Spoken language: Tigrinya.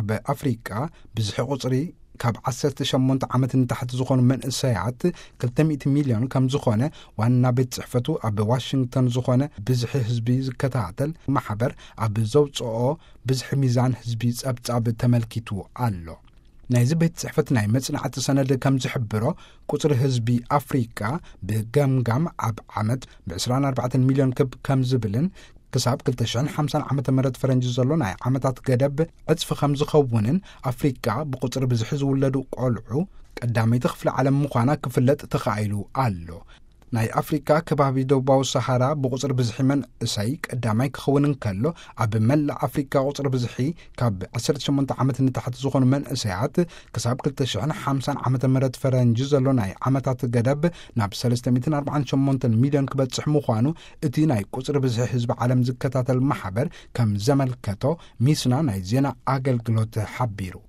ኣብ ኣፍሪቃ ብዝሒ ቁጽሪ ካብ ዓሰርተ ሸሞንተ ዓመት ንታሕቲ ዝኾኑ መንእሰያት ክልተ ሚእቲ ሚልዮን ከም ዝኾነ ዋና ቤት ጽሕፈቱ ኣብ ዋሽንግተን ዝኾነ ብዝሒ ህዝቢ ዝከታተል ማሕበር ኣብ ዘውጽኦ ብዝሒ ሚዛን ህዝቢ ጸብጻብ ተመልኪቱ ኣሎ። ናይዚ ቤት ጽሕፈት ናይ መጽናዕቲ ሰነድ ከም ዝሕብሮ፣ ቁጽሪ ህዝቢ ኣፍሪቃ ብገምጋም ኣብ ዓመት ብ ዕስራን ኣርባዕተን ሚልዮን ክብ ከም ዝብልን ክሳብ ክልተ ሽሕን ሓምሳን ዓመተ ምህረት ፈረንጂ ዘሎ ናይ ዓመታት ገደብ ዕጽፊ ከም ዝኸውንን ኣፍሪቃ ብቁጽሪ ብዝሒ ዝውለዱ ቆልዑ ቀዳመይቲ ክፍለ ዓለም ምዃና ክፍለጥ ተኻኢሉ ኣሎ። ናይ ኣፍሪካ ከባቢ ደቡባዊ ሰሃራ ብቁጽሪ ብዝሒ መንእሰይ ቀዳማይ ክኸውን እንከሎ፣ ኣብ መላእ ኣፍሪካ ቁጽሪ ብዝሒ ካብ ዓሰርተ ሸሞንተ ዓመት ንታሕቲ ዝኾኑ መንእሰያት ክሳብ ክልተ ሽሕን ሓምሳን ዓመተ ምህረት ፈረንጂ ዘሎ ናይ ዓመታት ገደብ ናብ ሰለስተ ሚእትን ኣርባዓን ሸሞንተን ሚልዮን ክበጽሕ ምዃኑ እቲ ናይ ቁጽሪ ብዝሒ ህዝቢ ዓለም ዝከታተል ማሕበር ከም ዘመልከቶ ሚስና ናይ ዜና ኣገልግሎት ሓቢሩ።